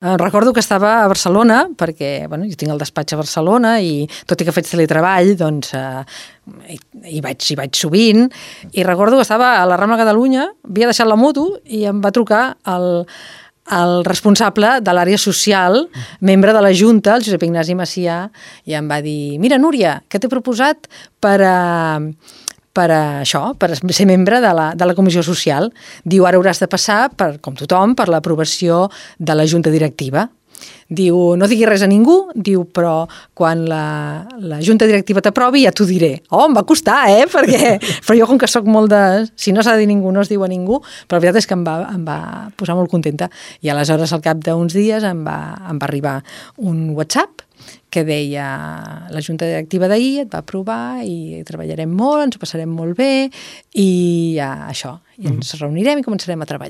Recordo que estava a Barcelona, perquè jo tinc el despatx a Barcelona i tot i que faig teletreball, doncs hi vaig sovint, i recordo que estava a la Rambla Catalunya, havia deixat la moto i em va trucar el responsable de l'àrea social, membre de la Junta, el Josep Ignasi Macià, i em va dir: mira, Núria, què t'he proposat per ser membre de la Comissió Social. Diu, ara hauràs de passar, com tothom, per l'aprovació de la Junta Directiva. Diu, no diguis res a ningú, diu, però quan la Junta Directiva t'aprovi ja t'ho diré. Oh, em va costar, però jo com que sóc molt de... Si no s'ha de dir ningú, no es diu a ningú, però la veritat és que em va posar molt contenta. I aleshores, al cap d'uns dies, em va arribar un WhatsApp que deia: la Junta Directiva d'ahir et va aprovar i treballarem molt, ens ho passarem molt bé i això, i ens reunirem i començarem a treballar.